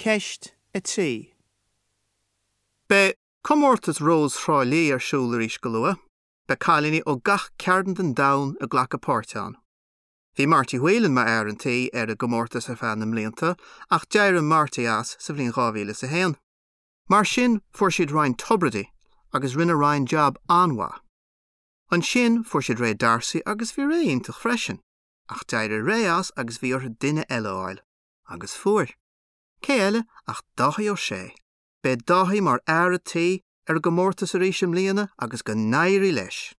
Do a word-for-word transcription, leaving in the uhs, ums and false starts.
Ceist a trí. Beidh comórtas Rós Thrá Lí ar siúl arís go luath, Beidh cailíní ó gach cearn den domhan ag glacadh páirt ann. Bhí Marty Whelan mar fhear an tí ar an gcomórtas ar feadh na mblianta ach d'éirigh Marty as sa bhliain dhá mhíle is a haon. Mar sin fuair siad Ryan Tubridy agus rinne Ryan jab an-mhaith. Ansin fuair siad Ray D'Arcy agus bhí Ray iontach freisin, ach d'éirigh Ray as agus bhí orthu duine eile a fháil, agus fuair. Cé eile ach Dáithí Ó Sé. Beidh Dáithí mar fhear an tí ar an gcomórtas arís i mbliana agus go n-éirí leis.